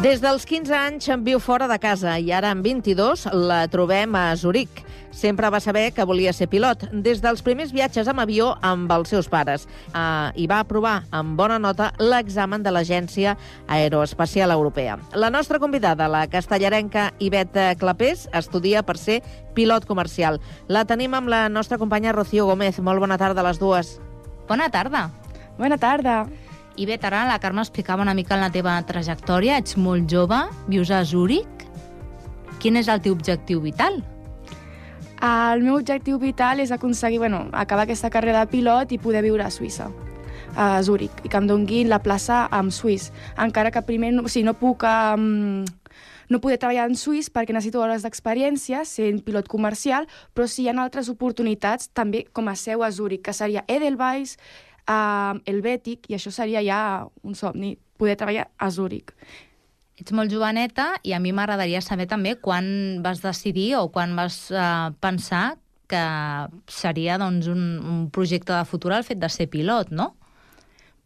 Des dels 15 anys viu fora de casa i ara amb 22 la trobem a Zuric. Sempre va saber que volia ser pilot, des dels primers viatges amb avió amb els seus pares. I va aprovar amb bona nota l'examen de l'Agència Aeroespacial Europea. La nostra convidada, la castellarenca Ivette Clapés, estudia per ser pilot comercial. La tenim amb la nostra companya Rocío Gómez. Molt bona tarda a les dues. Bona tarda. Bona tarda. Ivette, ara la Carme explicava una mica la teva trajectòria. Ets molt jove, vius a Zúrich. Quin és el teu objectiu vital? El meu objectiu vital és aconseguir, acabar aquesta carrera de pilot i poder viure a Suïssa, a Zúrich, i que em donguin la plaça en suís. Encara que primer no puc no poder treballar en suís perquè necessito hores d'experiència sent pilot comercial, però sí hi ha altres oportunitats també com a seu a Zúrich, que seria Edelweiss, Helvetic, i això seria ja un somni, poder treballar a Zúrich. Ets molt joveneta i a mi m'agradaria saber també quan vas decidir o quan vas pensar que seria un projecte de futur el fet de ser pilot, no?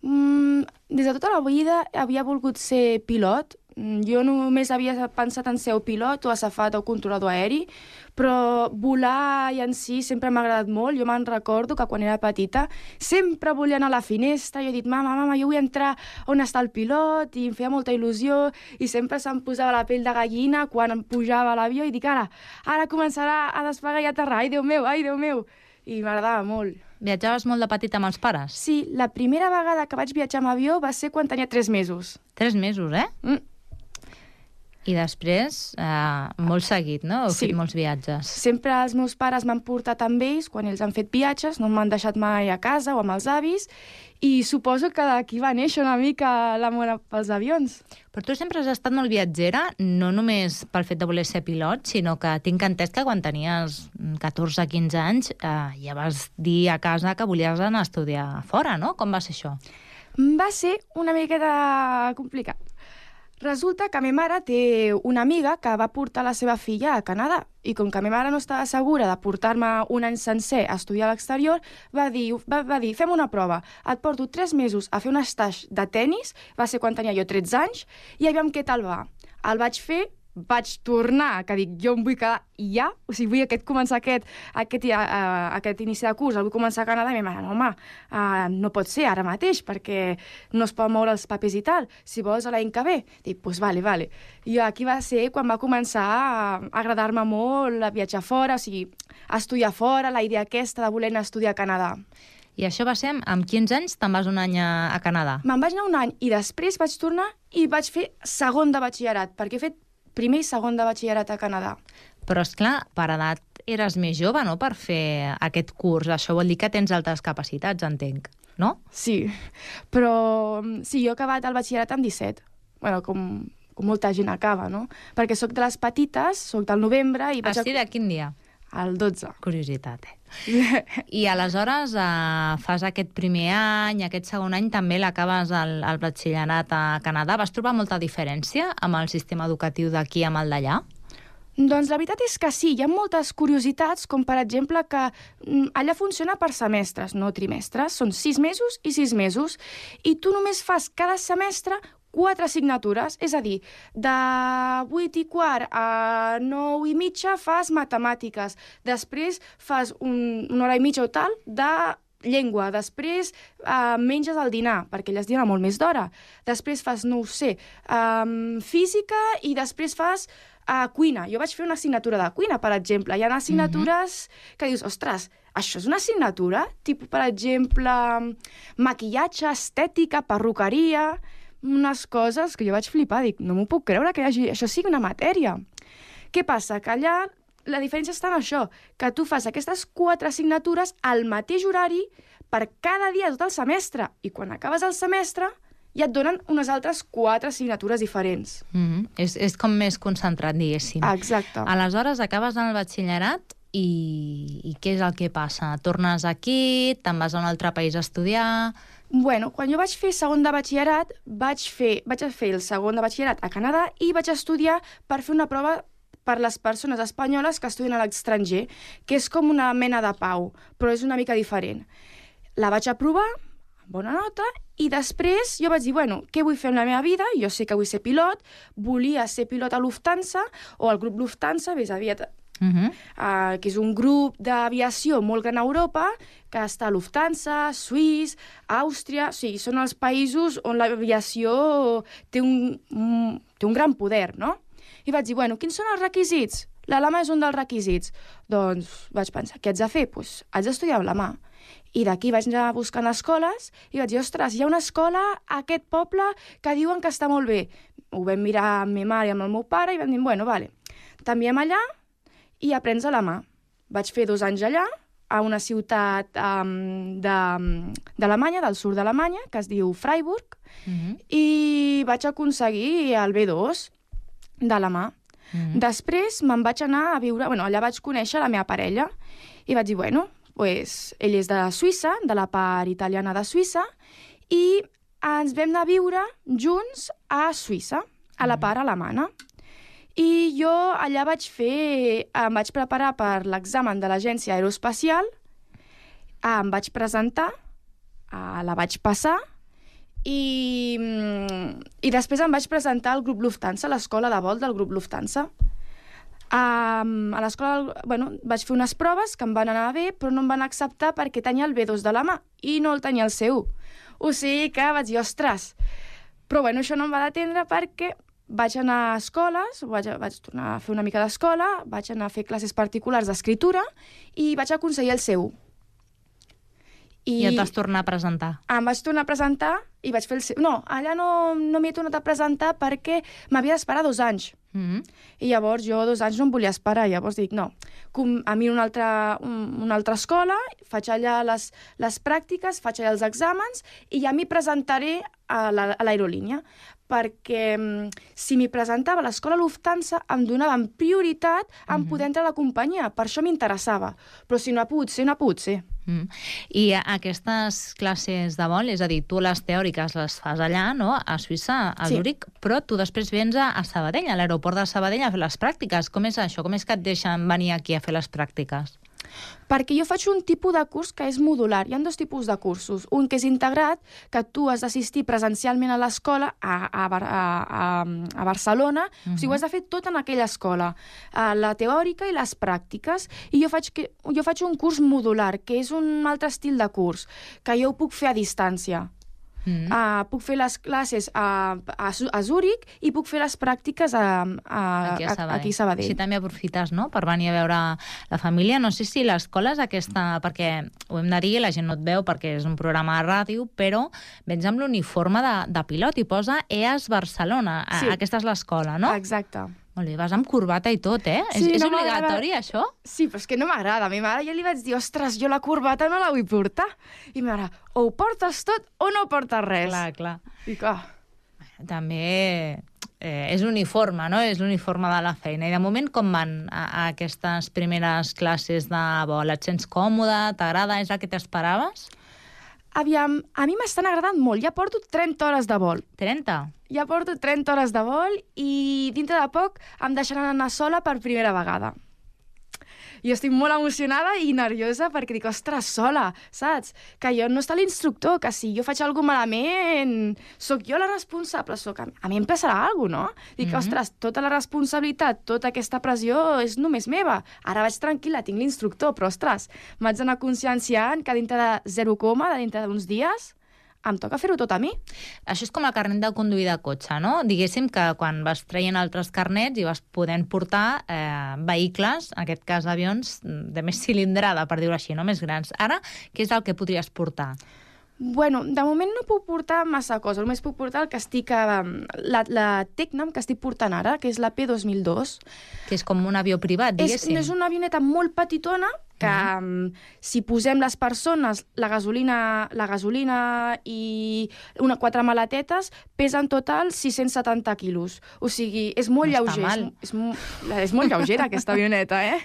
Des de tota la vida havia volgut ser pilot. Jo només havia pensat en ser o pilot o azafat o controlador aeri, però volar i en si sempre m'ha agradat molt. Jo me'n recordo que quan era petita sempre volia anar a la finestra i he dit, mama, jo vull entrar on està el pilot, i em feia molta il·lusió i sempre se'm posava la pell de gallina quan em pujava a l'avió i dic, ara començarà a despegar i a aterrar, ai Déu meu, i m'agradava molt. Viatjaves molt de petita amb els pares? Sí, la primera vegada que vaig viatjar amb avió va ser quan tenia 3 mesos. 3 mesos, I després, molt seguit, no? Heu fet molts viatges. Sempre els meus pares m'han portat amb ells quan ells han fet viatges, no m'han deixat mai a casa o amb els avis, i suposo que d'aquí va néixer una mica l'amor pels avions. Però tu sempre has estat molt viatgera, no només pel fet de voler ser pilot, sinó que tinc entès que quan tenies 14-15 anys ja vas dir a casa que volies anar a estudiar fora, no? Com va ser això? Va ser una miqueta complicat. Resulta que ma mare té una amiga que va portar la seva filla a Canadà, i com que ma mare no estava segura de portar-me un any sencer a estudiar a l'exterior, va dir, fem una prova, et porto 3 mesos a fer un stage de tennis, va ser quan tenia jo 13 anys, i aviam què tal va. El vaig fer, vaig tornar, que dic, jo em vull quedar ja, o sigui, vull començar aquest inici de curs, el vull començar a Canadà, i ma mare, no, home, no pot ser ara mateix, perquè no es poden moure els papers i tal, si vols l'any que ve. Dic, doncs vale. I aquí va ser quan va començar a agradar-me molt a viatjar fora, o sigui, a estudiar fora, la idea aquesta de voler anar a estudiar a Canadà. I això va ser amb 15 anys, te'n vas un any a Canadà? Me'n vaig anar un any i després vaig tornar i vaig fer segon de batxillerat, perquè he fet primer i segon de batxillerat a Canadà. Però, esclar, per edat eres més jove, no?, per fer aquest curs. Això vol dir que tens altres capacitats, entenc, no? Sí, però sí, jo he acabat el batxillerat amb 17. Com molta gent acaba, no? Perquè sóc de les petites, sóc del novembre i vaig... Sí, de quin dia? El 12. Curiositat, I aleshores fas aquest primer any, aquest segon any també l'acabes al batxillerat a Canadà. Vas trobar molta diferència amb el sistema educatiu d'aquí amb el d'allà? Doncs la veritat és que sí, hi ha moltes curiositats, com per exemple que allà funciona per semestres, no trimestres, són 6 mesos i 6 mesos, i tu només fas cada semestre 4 assignatures, és a dir, de 8:15 a 9:30 fas matemàtiques, després fas una hora i mitja o tal de llengua, després menges el dinar, perquè allà es dina molt més d'hora, després fas, no ho sé, física i després fas cuina. Jo vaig fer una assignatura de cuina, per exemple. Hi ha assignatures que dius, ostres, això és una assignatura? Tipus, per exemple, maquillatge, estètica, perruqueria, unes coses que jo vaig flipar. Dic, no m'ho puc creure que això sigui una matèria. Què passa? Que allà la diferència està en això, que tu fas aquestes 4 assignatures al mateix horari per cada dia tot el semestre, i quan acabes el semestre ja et donen unes altres 4 assignatures diferents. És com més concentrat, diguéssim. Exacte. Aleshores, acabes en el batxillerat i què és el que passa? Tornes aquí, te'n vas a un altre país a estudiar... Bueno, quan jo vaig fer segon de batxillerat, vaig fer el segon de batxillerat a Canadà i vaig estudiar per fer una prova per les persones espanyoles que estudien a l'estranger, que és com una mena de pau, però és una mica diferent. La vaig aprovar, bona nota, i després jo vaig dir, bueno, què vull fer amb la meva vida? Jo sé que vull ser pilot, volia ser pilot a Lufthansa, o al grup Lufthansa, més aviat, que és un grup d'aviació molt gran a Europa, que està a Lufthansa, Suís, Àustria, o sigui, són els països on l'aviació té un gran poder, no? I vaig dir, bueno, quins són els requisits? L'alemà és un dels requisits. Doncs vaig pensar, què haig de fer? Doncs haig d'estudiar l'alemà. I d'aquí vaig anar buscant escoles i vaig dir, ostres, hi ha una escola a aquest poble que diuen que està molt bé. Ho vam mirar amb ma mare i amb el meu pare i vam dir, bueno, vale, t'enviem allà i aprens alemà. Vaig fer 2 anys allà, a una ciutat d'Alemanya, del sud d'Alemanya, que es diu Freiburg, i vaig aconseguir el B2 d'alemà. Després me'n vaig anar a viure... Bueno, allà vaig conèixer la meva parella i vaig dir, bueno, pues, ell és de Suïssa, de la part italiana de Suïssa, i ens vam anar a viure junts a Suïssa, a la part alemana. I jo allà em vaig preparar per l'examen de l'agència aeroespacial, em vaig presentar, la vaig passar, i després em vaig presentar al grup Lufthansa, a l'escola de vol del grup Lufthansa. A l'escola, bueno, vaig fer unes proves que em van anar bé, però no em van acceptar perquè tenia el B2 de l'alemà i no el tenia el C1. O sigui que vaig dir, ostres. Però bueno, això no em va detendre perquè vaig anar a escoles, vaig tornar a fer una mica d'escola, vaig anar a fer classes particulars d'escriptura i vaig aconseguir el C1. I et vas tornar a presentar? Em vaig tornar a presentar i vaig fer el C1. No, allà no m'hi he tornat a presentar perquè m'havia d'esperar 2 anys. I llavors jo 2 anys no em volia esperar. Llavors dic, no, a mi una altra escola, faig allà les pràctiques, faig allà els exàmens i ja m'hi presentaré a l'aerolínia. Perquè si m'hi presentava a l'escola Lufthansa em donaven prioritat en poder entrar a la companyia. Per això m'interessava. Però si no ha pogut ser, no ha pogut ser. I aquestes classes de vol, és a dir, tu les teòriques les fas allà, no?, a Suïssa, a Zúrich, però tu després vens a Sabadell, a l'aeroport de Sabadell, a fer les pràctiques. Com és això? Com és que et deixen venir aquí a fer les pràctiques? Perquè jo faig un tipus de curs que és modular. Hi ha 2 tipus de cursos. Un que és integrat, que tu has d'assistir presencialment a l'escola a Barcelona, o sigui, ho has de fer tot en aquella escola, la teòrica i les pràctiques. I jo faig un curs modular, que és un altre estil de curs, que jo ho puc fer a distància. Puc fer les classes a Zúrich i puc fer les pràctiques aquí a Sabadell. Així també aprofites, no?, per venir a veure la família. No sé si l'escola és aquesta, perquè ho hem de dir, la gent no et veu perquè és un programa de ràdio, però vens amb l'uniforme de pilot i posa EAS Barcelona. Sí. Aquesta és l'escola, no? Exacte. Molt bé, vas amb corbata i tot, eh? Sí, és obligatori, això? Sí, però és que no m'agrada. A mi mare ja li vaig dir, ostres, jo la corbata no la vull portar. I ma mare, o ho portes tot o no portes res. Clar. I clar. També és l'uniforme, no? És l'uniforme de la feina. I de moment, com van a aquestes primeres classes de vol? Et sents còmode? T'agrada? És el que t'esperaves? Aviam, a mi m'estan agradant molt. Ja porto 30 hores de vol. 30? Ja porto 30 hores de vol i dintre de poc em deixaran anar sola per primera vegada. Jo estic molt emocionada i nerviosa perquè dic, ostres, sola, saps? Que jo no està l'instructor, que si jo faig alguna malament, sóc jo la responsable, a mi em passarà alguna cosa, no? Dic, ostres, tota la responsabilitat, tota aquesta pressió és només meva. Ara vaig tranquil·la, tinc l'instructor, però, ostres, m'haig d'anar conscienciant que dintre de 0, dintre d'uns dies, em toca fer-ho tot a mi. Això és com el carnet de conduir de cotxe, no? Diguéssim que quan vas traient altres carnets i vas podent portar vehicles, en aquest cas avions, de més cilindrada, per dir-ho així, no? Més grans. Ara, què és el que podries portar? Bueno, de moment no puc portar massa cosa. Només puc portar el que estic... la Tecnam que estic portant ara, que és la P2002. Que és com un avió privat, diguéssim. És una avioneta molt petitona que si posem les persones, la gasolina i 4 maletetes, pesa en total 670 quilos. O sigui, és molt lleuger. És molt lleugera aquesta avioneta, eh?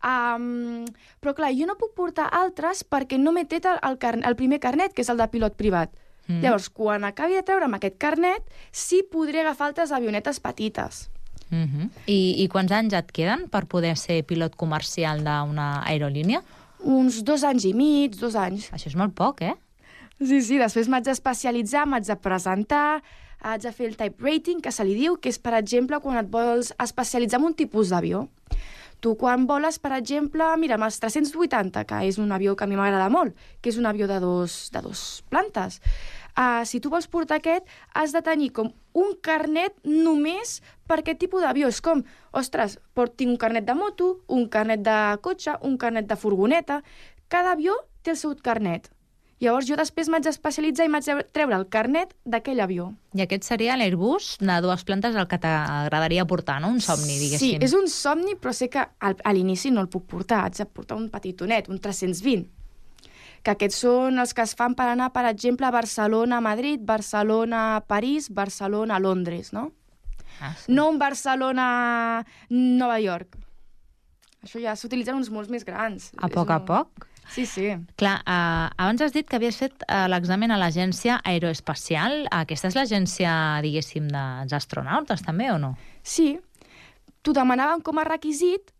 Però clar, jo no puc portar altres perquè no m'he tret el primer carnet, que és el de pilot privat. Llavors, quan acabi de treure'm aquest carnet, sí podré agafar altres avionetes petites. I quants anys et queden per poder ser pilot comercial d'una aerolínia? Uns 2 anys i mig, 2 anys. Això és molt poc, eh? Sí, després m'haig d'especialitzar, m'haig de presentar, haig de fer el type rating, que se li diu, que és, per exemple, quan et vols especialitzar en un tipus d'avió. Tu, quan voles, per exemple, mira, amb els 380, que és un avió que a mi m'agrada molt, que és un avió de dos plantes, si tu vols portar aquest, has de tenir com un carnet només per aquest tipus d'avió. És com, ostres, tinc un carnet de moto, un carnet de cotxe, un carnet de furgoneta. Cada avió té el seu carnet. Llavors jo després m'haig d'especialitzar i m'haig de treure el carnet d'aquell avió. I aquest seria l'Airbus de 2 plantes el que t'agradaria portar, no? Un somni, diguéssim. Sí, és un somni, però sé que a l'inici no el puc portar. Haig de portar un petitonet, un 320. Que aquests són els que es fan per anar, per exemple, a Barcelona, a Madrid, Barcelona, a París, Barcelona, a Londres, no? Sí. No un Barcelona, Nova York. Això ja s'utilitzen uns molts més grans. A poc a poc? Sí, sí. Clar, abans has dit que havies fet l'examen a l'Agència Aeroespacial. Aquesta és l'agència, diguéssim, dels astronautes, també, o no? Sí. T'ho demanaven com a requisit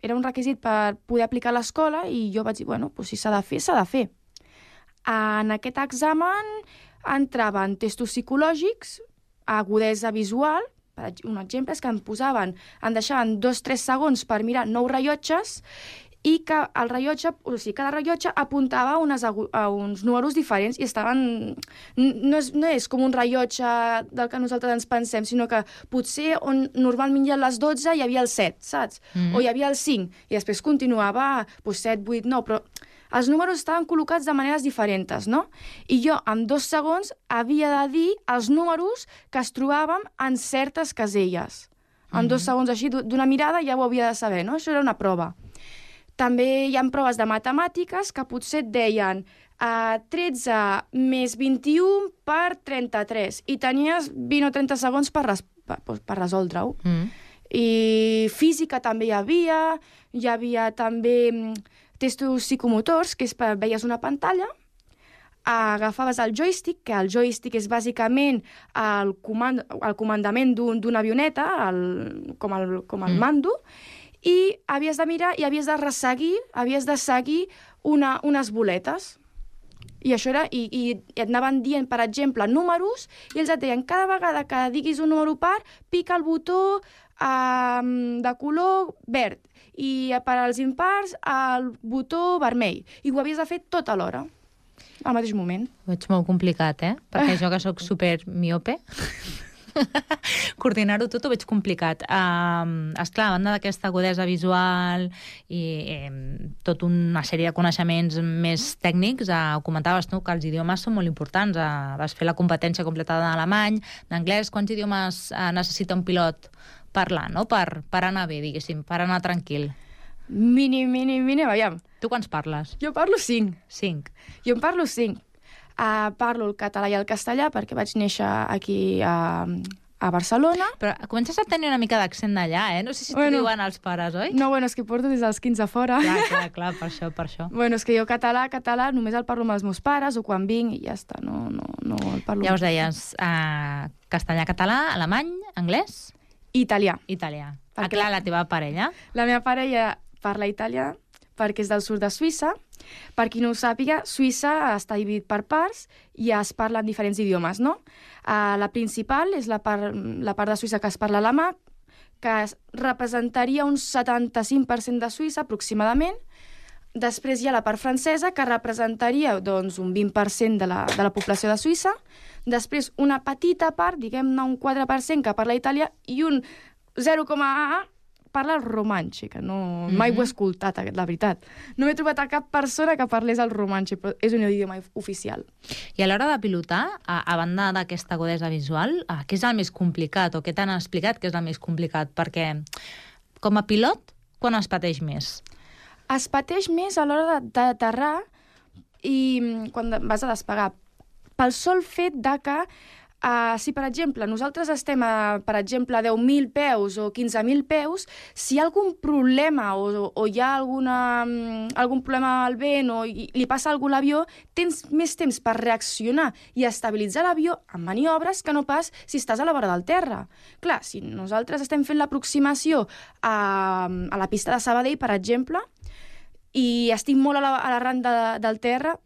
Era un requisit per poder aplicar a l'escola i jo vaig dir, bueno, doncs si s'ha de fer, s'ha de fer. En aquest examen entraven testos psicològics, agudesa visual, un exemple és que em deixaven 2-3 segons per mirar 9 rellotges i que el rellotge, o sigui, cada rellotge apuntava a uns números diferents i estaven... No és com un rellotge del que nosaltres ens pensem, sinó que potser on normalment hi ha les 12 hi havia el 7, saps? O hi havia el 5, i després continuava 7, 8, 9, però els números estaven col·locats de maneres diferents, no? I jo, en 2 segons, havia de dir els números que es trobàvem en certes caselles. En 2 segons així, d'una mirada, ja ho havia de saber, no? Això era una prova. També hi ha proves de matemàtiques que potser et deien 13 més 21 per 33 i tenies 20 o 30 segons per resoldre-ho. I física també hi havia també testos psicomotors, que és veies una pantalla, agafaves el joystick, que el joystick és bàsicament el comandament d'una avioneta, com el mando, i havies de mirar i havies de seguir unes boletes. I això era, i et anaven dient, per exemple, números, i ells et deien, cada vegada que diguis un número par, pica el botó de color verd, i per als impars, el botó vermell. I ho havies de fer tot alhora, al mateix moment. Ho veig molt complicat, Perquè jo, que soc super miope, coordinar-ho tot ho veig complicat. Esclar, a banda d'aquesta agudesa visual i tota una sèrie de coneixements més tècnics, ho comentaves tu, que els idiomes són molt importants. Vas fer la competència completa d'alemany, d'anglès. Quants idiomes necessita un pilot parlar, no? Per anar bé, diguéssim, per anar tranquil. Mínim, aviam. Tu quants parles? Jo parlo 5. 5. Jo en parlo 5. Parlo el català i el castellà perquè vaig néixer aquí a Barcelona. Però comences a tenir una mica d'accent d'allà, No sé si t'ho diuen els pares, oi? No, és que porto des dels 15 a fora. Clar, per això. És que jo català només el parlo amb els meus pares o quan vinc i ja està, no el parlo. Ja us deies, castellà, català, alemany, anglès? Italià. Clar, la teva parella? La meva parella parla italià perquè és del sud de Suïssa. Per qui no ho sàpiga, Suïssa està dividit per parts i es parlen diferents idiomes, no? La principal és la part de Suïssa que es parla alemà, que representaria un 75% de Suïssa, aproximadament. Després hi ha la part francesa, que representaria un 20% de la població de Suïssa. Després una petita part, diguem-ne un 4%, que parla italià, i un 0,1% parla el romanxe, que mai ho he escoltat, la veritat. No m'he trobat a cap persona que parlés el romanxe, però és un idioma oficial. I a l'hora de pilotar, a banda d'aquesta agudesa visual, què és el més complicat, o què t'han explicat que és el més complicat? Perquè, com a pilot, quan es pateix més? Es pateix més a l'hora d'aterrar i quan vas a despegar. Pel sol fet de que si, per exemple, nosaltres estem a 10.000 peus o 15.000 peus, si hi ha algun problema o hi ha algun problema al vent o li passa alguna cosa a l'avió, tens més temps per reaccionar i estabilitzar l'avió amb maniobres que no pas si estàs a la vora del terra. Clar, si nosaltres estem fent l'aproximació a la pista de Sabadell, per exemple, i estic molt a l'arran del terra,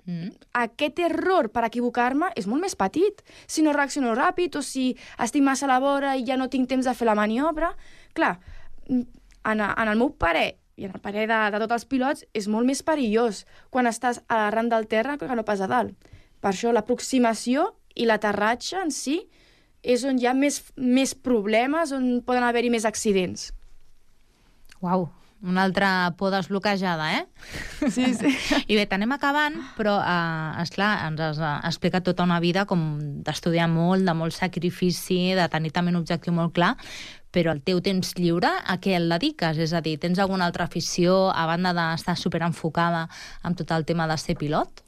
aquest error per equivocar-me és molt més petit. Si no reacciono ràpid o si estic massa a la vora i ja no tinc temps de fer la maniobra... Clar, en el meu parer i en el parer de tots els pilots és molt més perillós quan estàs a l'arran del terra que no pas a dalt. Per això l'aproximació i l'aterratge en si és on hi ha més problemes, on poden haver-hi més accidents. Uau, una altra por desbloquejada, eh? Sí. I bé, t'anem acabant, però, esclar, ens has explicat tota una vida com d'estudiar molt, de molt sacrifici, de tenir també un objectiu molt clar, però el teu temps lliure, a què el dediques? És a dir, tens alguna altra afició, a banda d'estar superenfocada amb tot el tema de ser pilot?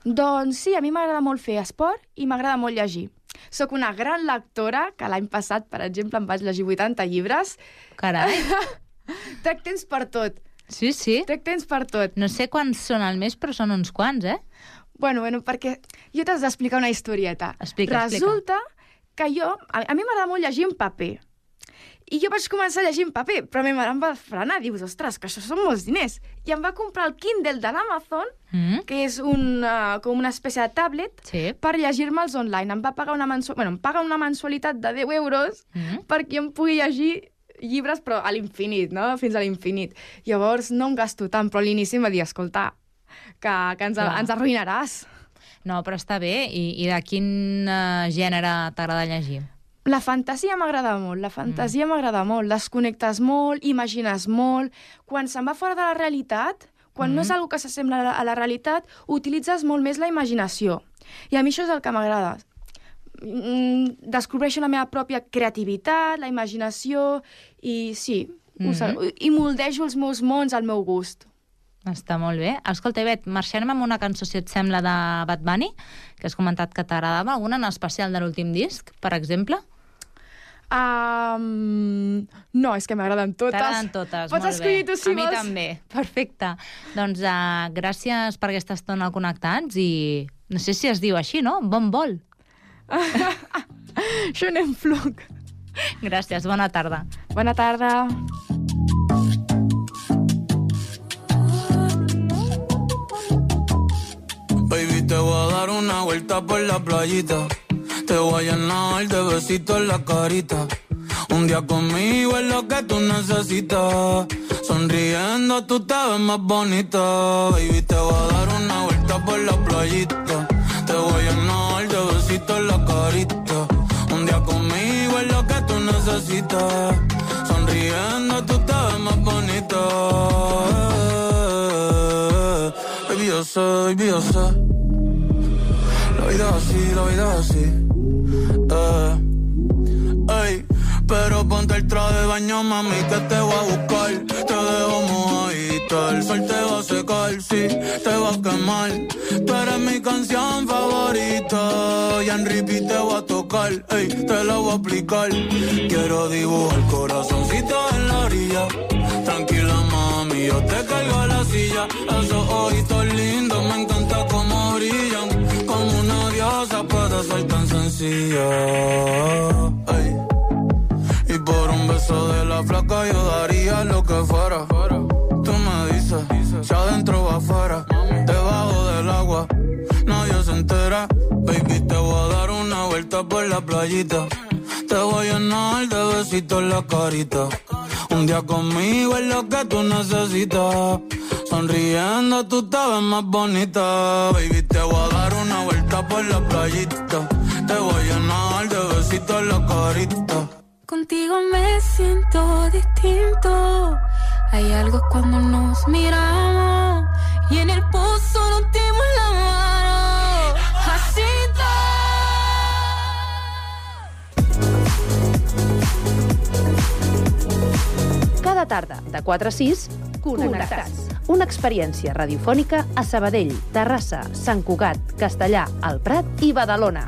Doncs sí, a mi m'agrada molt fer esport i m'agrada molt llegir. Soc una gran lectora, que l'any passat, per exemple, em vaig llegir 80 llibres. Carai! Trec temps per tot. Sí. Trec temps per tot. No sé quants són al mes, però són uns quants, eh? Bueno, perquè jo t'has d'explicar una historieta. Explica. Resulta que a mi m'agrada molt llegir en paper. I jo vaig començar a llegir en paper, però a mi em va frenar. Dius, ostres, que això són molts diners. I em va comprar el Kindle de l'Amazon, que és com una espècie de tablet, per llegir-me'ls online. Em va pagar em paga una mensualitat de 10 euros perquè em pugui llegir llibres, però a l'infinit, no? Fins a l'infinit. Llavors no em gasto tant, però a l'inici em va dir, escolta, que ens arruïnaràs. No, però està bé. I de quin gènere t'agrada llegir? La fantasia m'agrada molt, desconnectes molt, imagines molt. Quan se'n va fora de la realitat, quan no és una que s'assembla a la realitat, utilitzes molt més la imaginació. I a mi això és el que m'agrada. Descobreixo la meva pròpia creativitat, la imaginació, i sí, i moldejo els meus mons al meu gust. Està molt bé. Escolta, Bet, marxem amb una cançó, si et sembla, de Bad Bunny, que has comentat que t'agradava. Alguna en especial de l'últim disc, per exemple? No, és que m'agraden totes. T'agraden totes, Pots escollir tu si vols. A mi també, perfecte. Doncs gràcies per aquesta estona connectats i no sé si es diu així, no? Bon vol. Schönen Flug. Gràcies, bona tarda. Bona tarda. Baby, te voy a dar una vuelta por la playita. Te voy a llenar de besitos en la carita. Un día conmigo es lo que tú necesitas. Sonriendo tú te ves más bonita. Baby, te voy a dar una vuelta por la playita. Te voy a llenar de besitos en la carita. Un día conmigo es lo que tú necesitas. Sonriendo tú te ves más bonita. Baby, yo sé. La vida es así. Ey, pero ponte el traje de baño, mami, que te voy a buscar. Te dejo mojadita, el sol te va a secar, sí, te va a quemar. Tú eres mi canción favorita y en repeat te voy a tocar, ey, te la voy a aplicar. Quiero dibujar corazoncito en la orilla. Tranquila, mami, yo te cargo a la silla. Esos ojitos lindos, me encanta cómo brillan. Como una diosa puede ser tan sencilla. Ey. Y por un beso de la flaca yo daría lo que fuera. Tú me dices, si adentro o afuera, debajo del agua, nadie se entera. Baby, te voy a dar una vuelta por la playita. Te voy a llenar de besitos en la carita. Un día conmigo es lo que tú necesitas. Sonriendo tú te ves más bonita. Baby, te voy a dar una vuelta por la playita. Te voy a llenar de besitos en la carita. Contigo me siento distinto. Hay algo cuando nos miramos y en el pozo nos dimos la mano. Así Cada tarda, de 4 a 6, Connectats. Una experiència radiofònica a Sabadell, Terrassa, Sant Cugat, Castellà, el Prat i Badalona.